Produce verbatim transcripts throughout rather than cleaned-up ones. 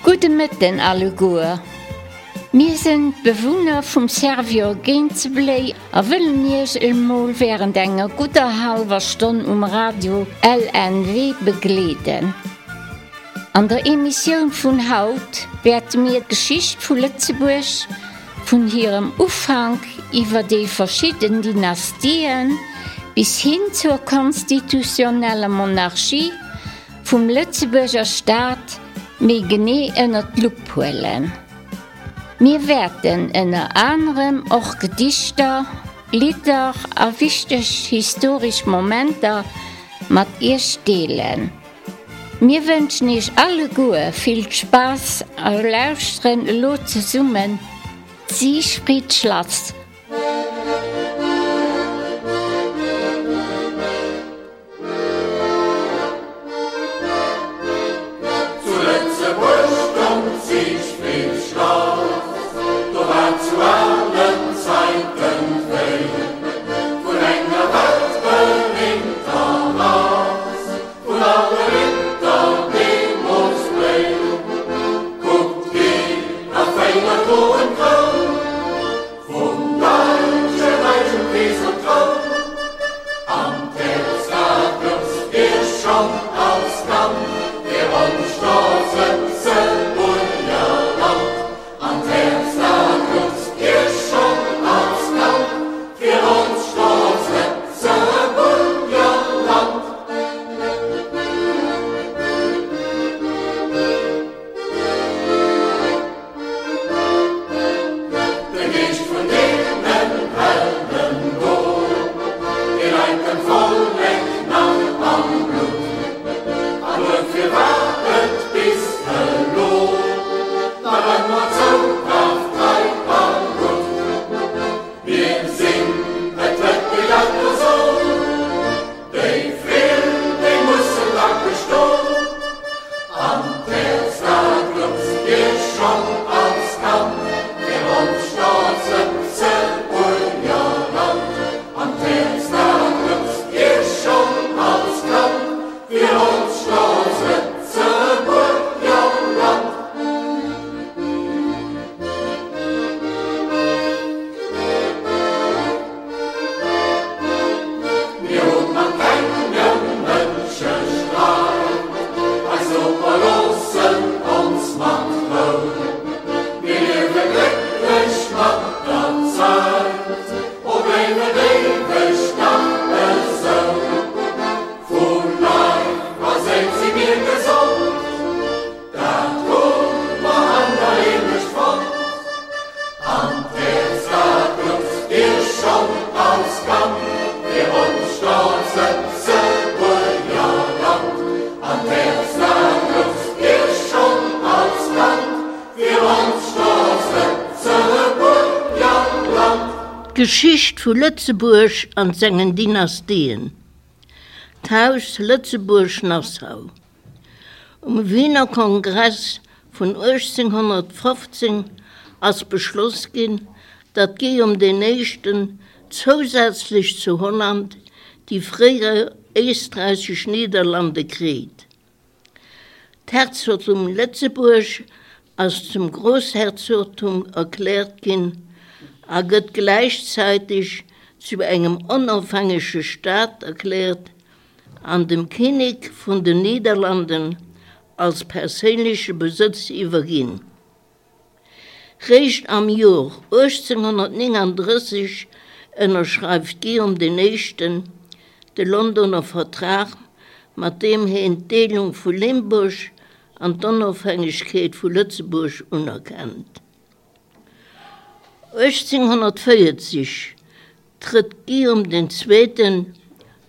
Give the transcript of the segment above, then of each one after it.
Gudde Mëtten alleguer. Mir sinn d'Bewunner vum Servior Génzebléi a wëllen Iech emol wärend enger gudder hallwer Stonn um Radio LNW begleeden. An der Emissioun vun haut wäerte mir d'Geschicht vu Lëtzebuerg vun hirem Ufank iwwer déi verschidden Dynastien bis hin zur konstitutioneller Monarchie vum Lëtzebuerger Staat méi genee ënnert d'Lupp huelen. Mir wäerten ënner anerem och Gedichter, Lidder a wichteg historesch Momenter mat Iech deelen. Mir wënschen Iech alleguer vill Spaass a lauschteren elo zesummen d'Siegfriedschlass. Zu Lëtzebuerg stoung d'Siegfriedschlass, do war zu allen Zäiten d'Réi vun enger weltberühmter Rass, vun alle Ritter deemools d'Bléi. Kuckt hir a féier droen d'Kroun vum Däitsche Räich um Keesertroun. An d'Häerz dat klopft dir schonn als Kand, fir ons stolz Lëtzebuerger Land. An d'Häerz dat klopft dir schonn als Kand, fir ons stolz Lëtzebuerger Land. De Geescht vun deenen Helden do, dee läit dem Vollek nach am Blutt. An duerfir war et bis elo nach ëmmer zou brav, trei a gutt. Mir sinn, et huet de Jacques gesot, déi vill, déi mussen dackeg ston. An d'Häerz dat klopft dir schonn als Kand, fir ons stolz Lëtzebuerger Land. An d'Häerz dat klopft dir schonn als Kand, fir ons stolz Lëtzebuerger Land. Mir hunn mat kengem Mënsche Streit, eis Noper loossen ons mat Rou. Mir liewe glécklech mat der Zäit, o bléif et éiweg dach esou. Vu Leif a Séil si mir gesond, dat hu mer an der Heemecht fonnt. An d'Häerz dat klopft dir schonn als Kand, fir ons stolz Lëtzebuerger Land. An d'Häerz dat klopft dir schonn als Kand, fir ons stolz Lëtzebuerger Land. D'Geschicht vu Lëtzebuerg an sengen Dynastien. D'Haus Lëtzebuerg-Nassau. Um Wiener Kongress vun uechtzénghonnertfofzéng ass beschloss ginn, datt Guillaume den Éischten zousätzlech zu Holland déi fréier éisträichesch Niederlande kritt. D'Herzogtum Lëtzebuerg ass zum Groussherzogtum erkläert ginn a gëtt gläichzäiteg zu engem onofhängege Staat erkläert an dem Kinnek vun den Niederlanden als perséinleche Besëtz iwwerginn. Réischt am Joer uechtzénghonnertnénganddrësseg ënnerschreift Guillaume den Éischten de Londoner Vertrag, mat deem hien d'Deelung vu Limburg an d'Onofhängegkeet vu Lëtzebuerg unerkennt. uechtzénghonnertvéierzeg trëtt Guillaume den Zweeten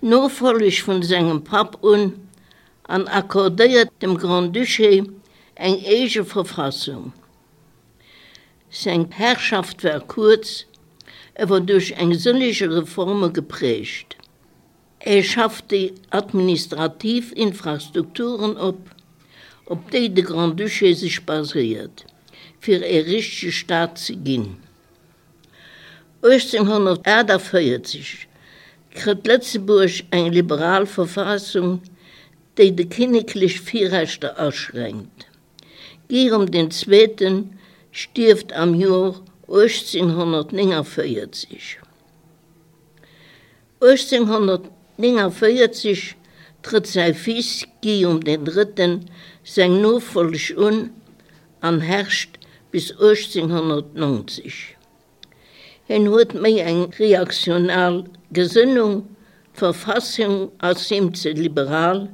d'Nofolleg vun sengem Papp un an accordéiert dem Grand-Duché eng eege Verfassung. Seng Herrschaft war kuerz, e wor duerch eng sëllege Reforme geprägt. E schafft déi administrativ Infrastrukturen op, op déi de Grand-Duché sech baséiert, fir e richtege Staat ze ginn. uechtzénghonnertaachtavéierzeg kritt Lëtzebuerg eng liberal Verfassung, déi déi kinneklech Virrechter aschränkt. Guillaume den Zweeten stierft am Joer uechtzénhonnertnénganvéierzeg. uechtzénhonnertnénganvéierzeg trëtt säi Fils Guillaume den Drëtten seng Nofolleg un an herrscht bis uechtzénhonnertnonzeg. Hien huet méi eng reaktional Gesënnung, d'Verfassung ass him ze liberal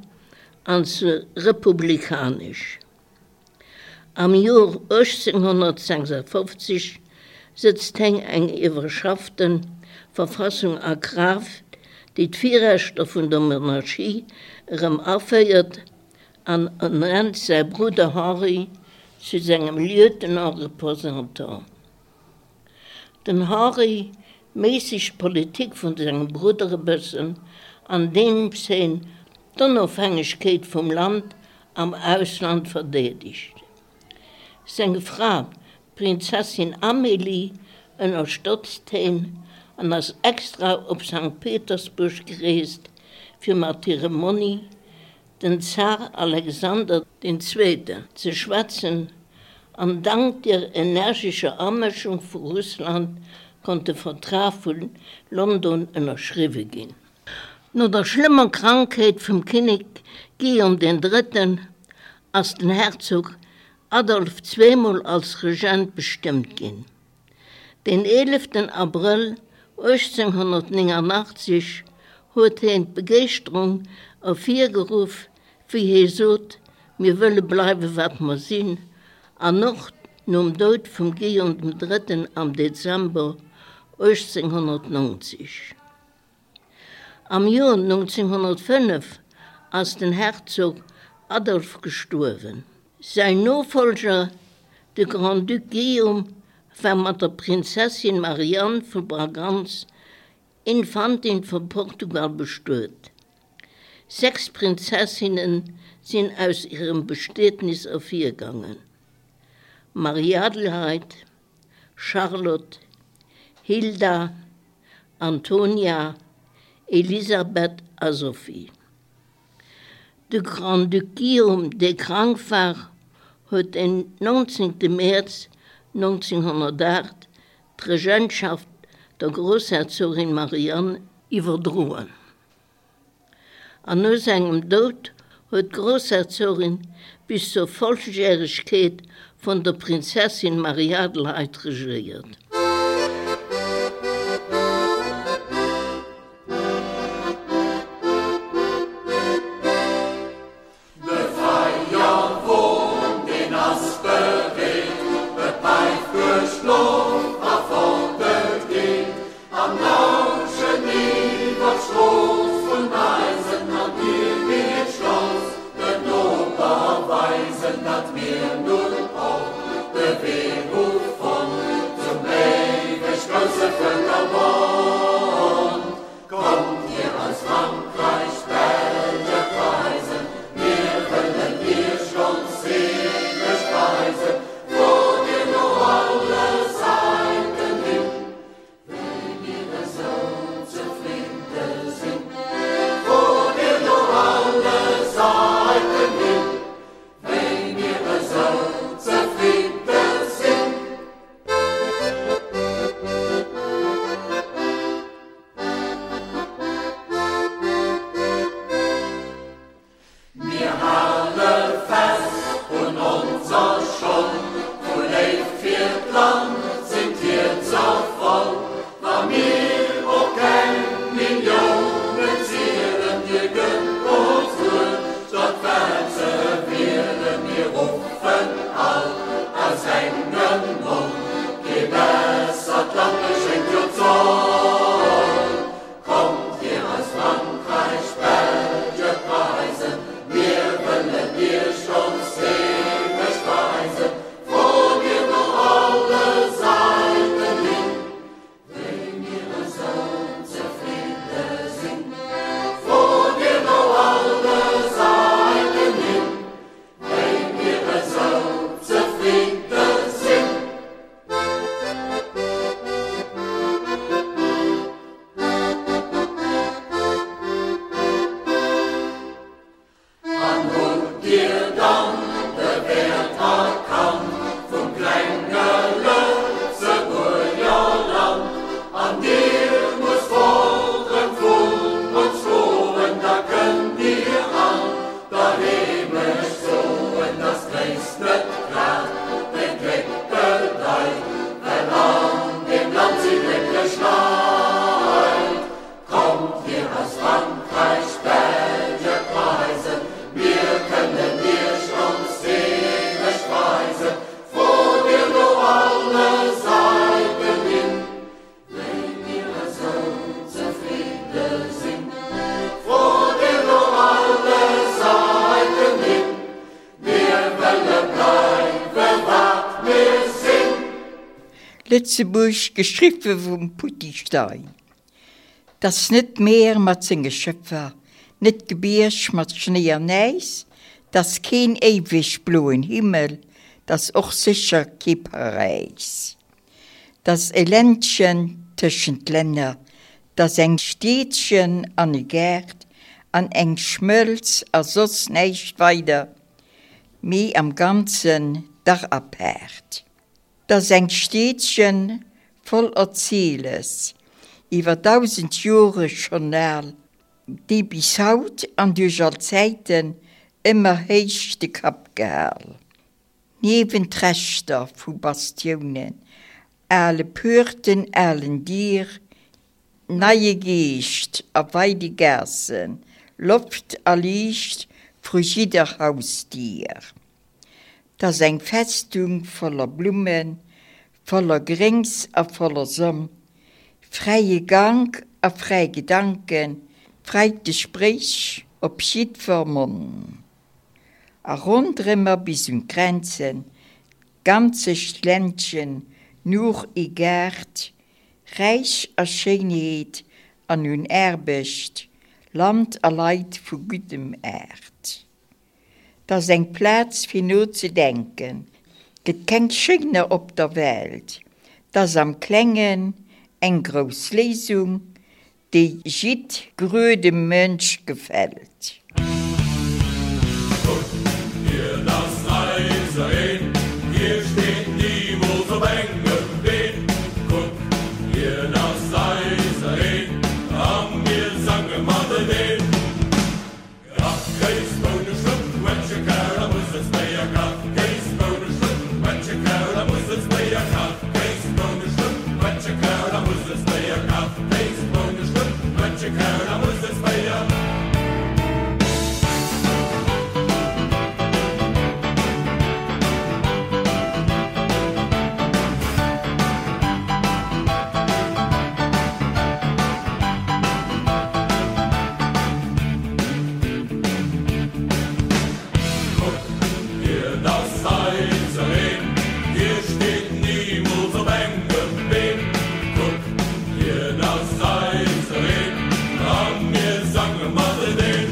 an ze republikanesch. Am Joer uechtzénhonnertsechsafofzeg sëtzt hien eng iwwerschaffte Verfassung a Kraaft, déi d'Virrechter vun der Monarchie erëm aféiert an ernennt säi Brudder Henri zu sengem Lieutenant-représentant. Den Henri méissegt d'Politik vun sengem Brudder e bëssen, andeems hien d'Onofhängegkeet vum Land am Ausland verdeedegt. Seng Fra, d'Prinzessin Amélie, ënnerstëtzt hien an ass extra op Sankt Petersburg gereest, fir mat hirem Monni, den Zar Alexander den Zweeten, ze schwätzen, an dank der energescher Amëschung vu Russland konnt de Vertrag vu London ënnerschriwwe ginn. No der schlëmmer Krankheet vum Kinnek Guillaume den Drëtten ass den Herzog Adolphe zweemol als Regent bestëmmt ginn. Den eeleften Abrëll uechtzénhonnertnénganachtzeg huet hien d'Begeeschterung ervirgeruff, wéi hie sot, Mir wëlle bleiwe wat mer sinn, an och nom Doud vum Guillaume dem Drëtten am Dezember uechtzénhonnertnonzeg. Am Joer nonzénhonnertfënnef ass den Herzog Adolphe gestuerwen. Säin Nofollger, de Grand-Duc Guillaume, war mat der Prinzessin Marianne vu Braganz, Infantin vu Portugal, bestuet. Sechs Prinzessinne sinn aus hirem Bestietnis ervirgaangen, Marie-Adelheid, Charlotte, Hilda, Antonia, Elisabeth a Sophie. De Grand-Duc Guillaume, dee krank war, huet den nonzéngte Mäerz nonzénhonnertaacht d'Regentschaft der Groussherzogin Marianne iwwerdroen. An no sengem Doud huet d'Groussherzogin bis zur Volljäregkeet vun der Prinzessin Marie-Adelheid regéiert. De Feierwon, deen ass bereet, Et päift duerch d'Loft a fort et geet, Am Lauschen iwwer d'Strooss vun eisen An dir gitt stolz den Noper weisen, Datt mir nun och de Wee hu fonnt Zum éiweg grousse Vëlkerbond. Kommt dir aus Frankräich, Belge, Preisen, Mir wëllen iech ons Seele speisen, Frot dir no alle Säiten hin, Wéi mir esou zefridde sinn. Frot dir no alle Säiten hin, Wéi mir esou Lëtzebuerg, geschriwwe vum Poutty Stein. 't ass net d'Mier mat senge Schëffer, net d'Gebierg mat Schnéi an Äis, 't ass keen éiweg bloen Himmel, 't ass och sécher kee Paräis. 't ass e Ländchen tëschent Länner, 't ass eng Stiedchen an e Gaart an eng Schmëlz a soss näischt weider, mee am Ganzen dach apaart. 't ass eng Stiedchen voll Erziles, iwwer dausend Jore schonn al, déi bis haut an duerch all Zäiten ëmmer héich de Kapp gehal. Niewent Reschter vu Bastiounen, ale Puerten, alen Dier, neie Geescht a weide Gaassen, Loft a Liicht vru jidder Hausdier. 't ass eng Festung voller Blummen, voller Gréngs a voller Sonn, fräie Gank a fräi Gedanken, fräit Gespréich op jiddwer Monn. A ronderëmmer bis un d'Grenzen, d'ganzegt Ländchen nuch e Gaart, räich a Schéinheet an un Aarbecht, Land a Leit vu guddem Aart. 't ass eng Plaz fir nozedenken, 't gëtt keng schéiner op der Welt, 't ass am Klengen eng grouss Léisung, déi jiddgrödem Mënsch gefält. Kuck, hien ass eisereen, hie steet nimools op engem Been. Kuck, hien ass eisereen, a mir sange mateneen. Kach, Kéis, Boune, Schlupp, Quetsche, Kaul a Musselsbéier. Kach, Kéis, Boune, Schlupp, Quetsche, Kaul a Musselsbéier. Kach, Kéis, Boune, Schlupp, Quetsche, Kaul a Musselsbéier. Kach, Kéis, Boune, Schlupp, Quetsche, Kaul a Musselsbéier. Kuck, hien ass eisereen, hie steet nimools op engem Been. Kuck, hien ass eisereen, a mir sange mateneen.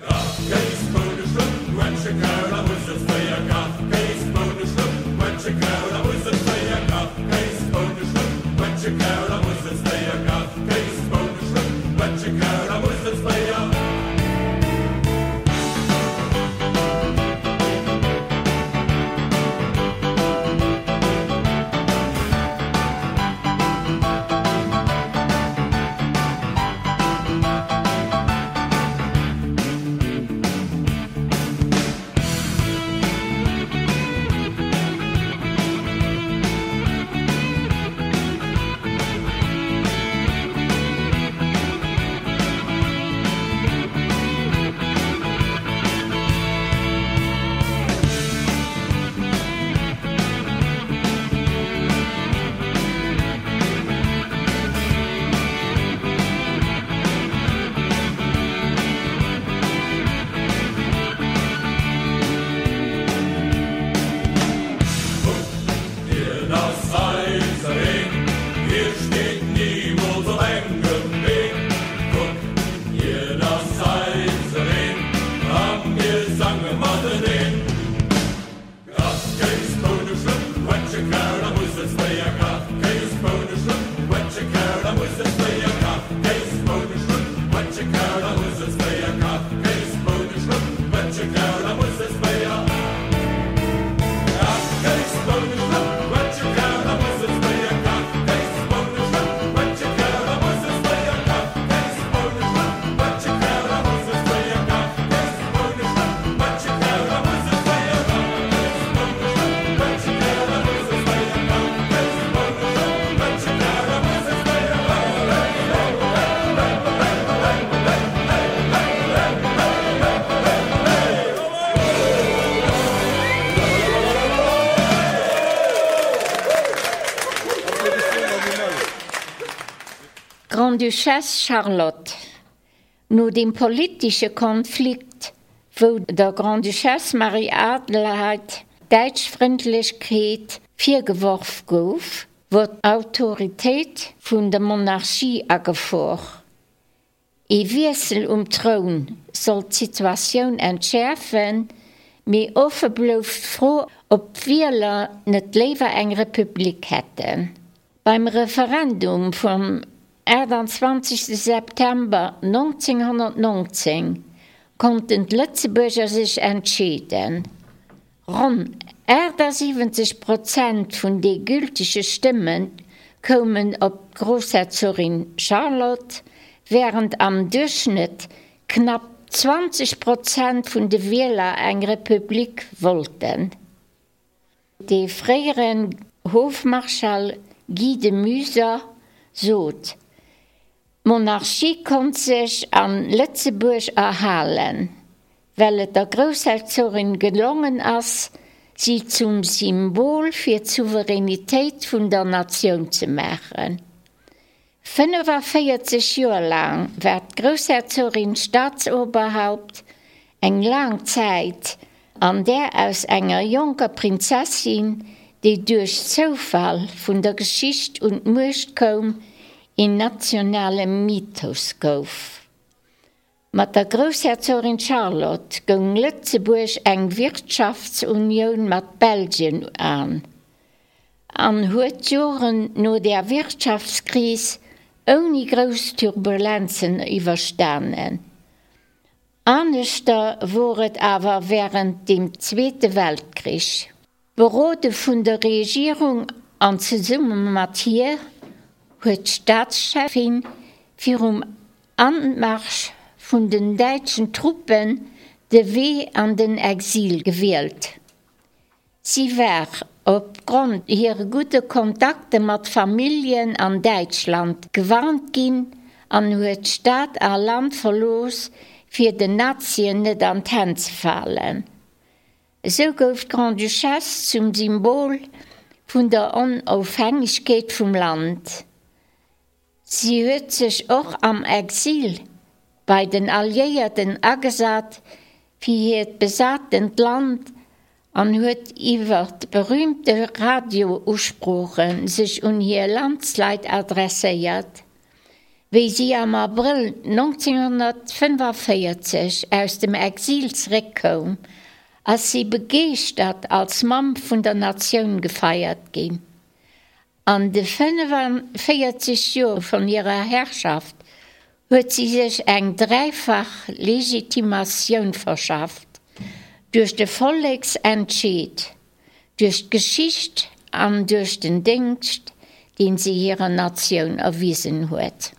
Kach, Kéis, Boune, Schlupp, Quetsche, Kaul a Musselsbéier. Kach, Kéis, Boune, Schlupp, Quetsche, Kaul a Musselsbéier. Kach, Kéis, Boune, Schlupp, Quetsche, Kaul a Musselsbéier. Kach, Kéis, Boune, Schlupp, Quetsche, Kaul a Musselsbéier. Kuck, hien ass eisereen, hie steet nimools op engem Been. Kuck, hien ass eisereen, a mir sange mateneen. Kach, Kéis, Boune, Schlupp, Quetsche, Kaul a Musselsbéier. Kach, Kéis, Boune, Schlupp, Quetsche, Kaul a Musselsbéier. Kach, Kéis, Boune, Schlupp, Quetsche, Kaul a Musselsbéier. Kach, Kéis, Boune, Schlupp, Quetsche, Kaul a Musselsbéier. Kach, Kéis, Boune, Schlupp, Quetsche, Kaul a Musselsbéier. Kach, Kéis, Boune, Schlupp, Quetsche, Kaul a Musselsbéier. Kach, Kéis, Boune, Schlupp, Quetsche, Kaul a Musselsbéier. Kach, Kéis, Boune, Schlupp, Quetsche, Kaul a Musselsbéier. Kach, Kéis, Boune, Schlupp, Quetsche, Kaul a Musselsbéier. Kach, Kéis, Boune, Schlupp, Quetsche, Kaul a Musselsbéier. Grande-Duchesse Charlotte. No dem politesche Konflikt, wou der Grande-Duchesse Marie-Adelheid d'Däitschfrëndlechkeet virgeworf gouf, wor d'Autoritéit vun der Monarchie a Gefor. Ee Wiessel um Troun sollt d'Situatioun entschäerfen, mee offe blouf d'Fro, ob d'Wieler net léiwer eng Republik hätten. Beim Referendum vum achtundzwanzegste September nonzénghonnertnonzéng konnten d'Lëtzebuerger sech entscheeden. Ronn achtasiwwenzeg Prozent vun de gültege Stëmme koumen op d'Groussherzogin Charlotte, wärend am Duerchschnëtt knapp zwanzeg Prozent vun de Wieler eng Republik wollten. De fréieren Hofmarschall Guy de Muyser sot, D'Monarchie konnt sech a Lëtzebuerg erhalen, well et der Groussherzogin gelongen ass, si zum Symbol fir d'Souveränitéit vun der Natioun ze maachen. Fënnefavéierzeg Joer laang war d'Groussherzogin Staatsoberhaupt, eng laang Zäit, an där aus enger jonker Prinzessin, déi duerch Zoufall vun der Geschicht un d'Muecht koum, een nationale Mythos gouf. Mat der Groussherzogin Charlotte goung Lëtzebuerg eng Wirtschaftsunioun mat Belgien an, an huet d'Joren no der Wirtschaftskris ouni grouss Turbulenzen iwwerstanen. Aneschter wor et awer wärend dem Zweete Weltkrich. Berode vun der Regierung an zesumme mat hir huet d'Staatscheffin virum Anmarsch vun den däitschen Truppen de Wee an den Exil gewielt. Si war opgrond hire gudde Kontakte mat Familljen an Däitschland gewarnt ginn an huet Stad a Land verlooss, fir den Nazien net an d'Hänn ze falen. Esou gouf d'Grande-Duchesse zum Symbol vun der Onofhängegkeet vum Land. Si huet sech och am Exil bei den Alliéierten agesat fir hiert besatent Land an huet iwwer berüümte Radio-Usprooche sech un hir Landsleit adresséiert. Wéi si am Abrëll nonzénghonnertfënnefaféierzeg aus dem Exil zeréckkoum, ass si begeeschtert als Mamm vun der Natioun gefeiert ginn. An de fënnefaféierzeg Joer vun hirer Herrschaft huet si sech eng dräifach Legitimatioun verschafft, duerch de Volleksentscheed, duerch d'Geschicht an duerch den Déngscht, deen si hirer Natioun erwisen huet.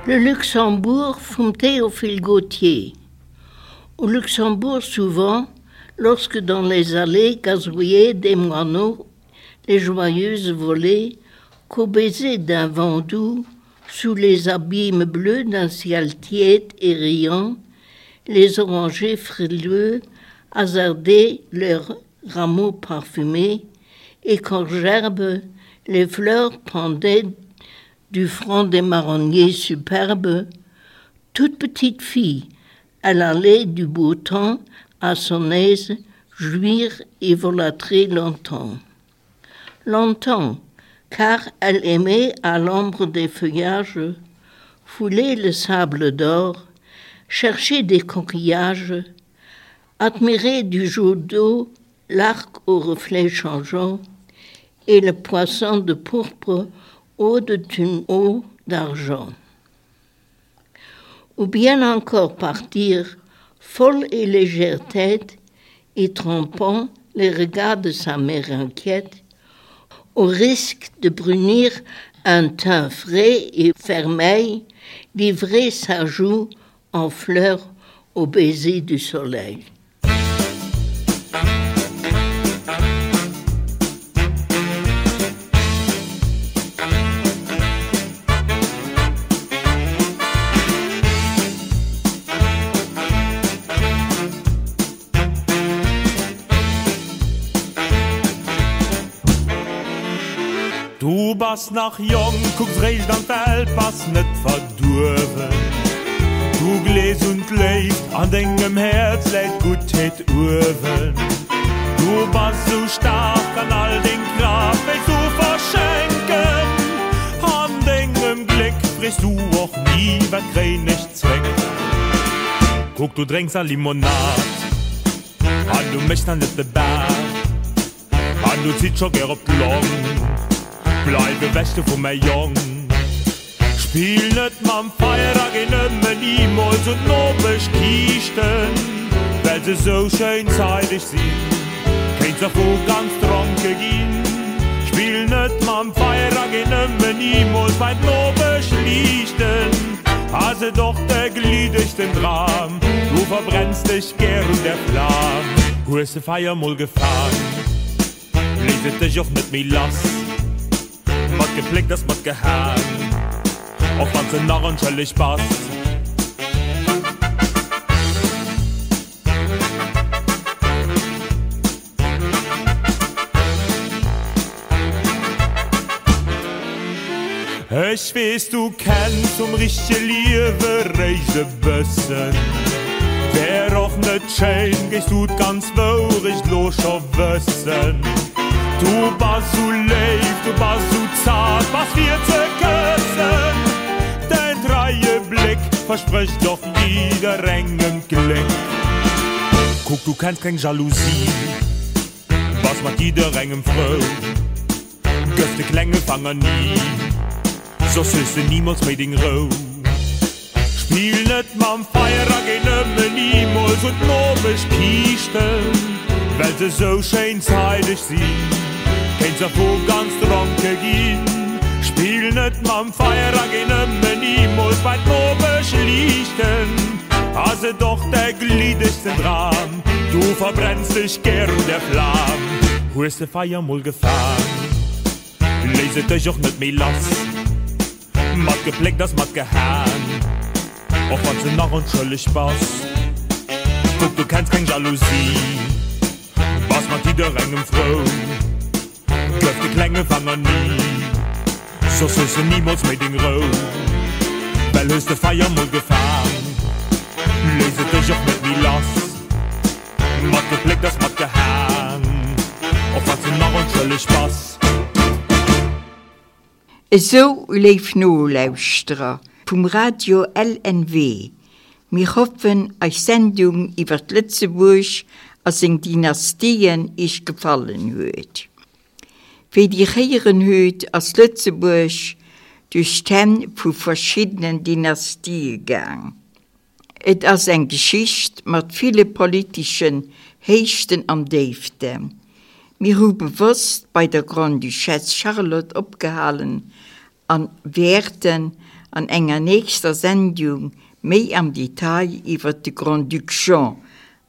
Le Luxembourg vum Théophile Gautier. Au Luxembourg souvent, lorsque dans les allées gazouillaient des moineaux les joyeuses volées, qu'au baiser d'un vent doux, sous les abîmes bleus d'un ciel tiède et riant, les orangers frileux hasardaient leurs rameaux parfumés, et qu'en gerbe les fleurs pendaient du front des marronniers superbes, toute petite fille, elle allait du beau temps à son aise jouir et volâtrer longtemps. Longtemps, car elle aimait à l'ombre des feuillages fouler le sable d'or, chercher des coquillages, admirer du jour d'eau l'arc aux reflets changeants et le poisson de pourpre haut d'une eau d'argent. Ou bien encore partir, folle et légère tête, et trompant les regards de sa mère inquiète, au risque de brunir un teint frais et vermeil, livrer sa joue en fleurs au baiser du soleil. Du bass nach jonk, kucks réischt an d'Welt, bass net verduerwen. Du glees un d'Léift, an dengem Häerz läit d'Guttheet uewen. Du bass sou staark an all deng Kraaft wéilts du verschenken. An dengem Gléck frees du och ni, wat kréien ech zréck. Kuck, du drénks a Limonad an du méchs nach net de Baart an du zitts scho gär op d'Long. Bleif ewech do vu mäi Jong. Spill net mam Feier a géi nëmmen nimools un d'Nopeschkiischten, well se sou schéin zeideg sinn, kéints dervu ganz dronke ginn. Spill net mam Feier a géi nëmmen nimools bei d'Nopeschliichten, ass et och de gliddegsten Dram, du verbrenns dech gär un der Flam. Hues de Feier mol gefaang, léisst et dech och net méi lass. Mat gepléckt ass mat gehaang, och wann s de nach onschëlleg bass. Ech weess du kenns vum richtege Liewe réischt e bëssen. Wär och net schéin, géifs du d'ganz Wourecht lo scho wëssen. Du bass sou léif, du bass sou zart, bass fir ze këssen. Däin treie Bléck versprécht och jidderengem d'Gléck. Kuck, du kenns keng Jalousie, bass mat jidderengem frou. Gëff de klenge Fanger ni, soss hues de nimools méi deng Rou. Spill net mam Feier a géi nëmmen nimools un d'Nopeschkiischten, well se sou schéin zeideg sinn, kéints dervu ganz dronke ginn. Spill net mam Feier a géi nëmmen nimools bei d'Nopeschliichten, ass et och de gliddegsten Dram, du verbrenns dech gär un der Flam. Hues de Feier mol gefaang, léisst et dech och net méi lass. Mat gepléckt ass mat gehaang, och wann s de nach onschëlleg bass. Kuck, du kenns keng Jalousie, bass mat jidderengem frou. Gëff de klenge Fanger ni, soss hues de nimools méi deng Rou. Well hues de Feier mol gefaang, léisst et dech och net méi lass. Mat gepléckt ass mat gehaang, och wann s de nach onschëlleg bass. Esou, léif Nolauschterer vum Radio L N W, mir hoffen, eis Sendung iwwer Lëtzebuerg a seng Dynastien Iech gefallen huet. Wéi Dir héieren hutt, ass Lëtzebuerg duerch d'Hänn vu verschiddenen Dynastie gaang. Et ass eng Geschicht mat ville politeschen Héichten an Déiften. Mir hu bewosst bei der Grande-Duchesse Charlotte opgehalen an wäerten an enger nächster Sendung méi am Detail iwwer de Grand-Duc Jean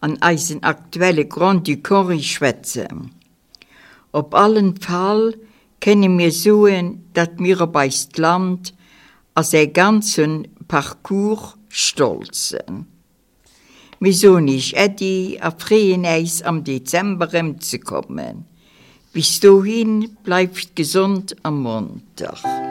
an eisen aktuelle Grand-Duc Henri schwätzen. Op allen Fall kënne mir soen, datt mir op eist Land a säi ganze Parcours stolz sinn. Mir soen Iech Äddi a freeën äis am Dezember erëmzekommen. Bis dohin, bleift gesond a monter.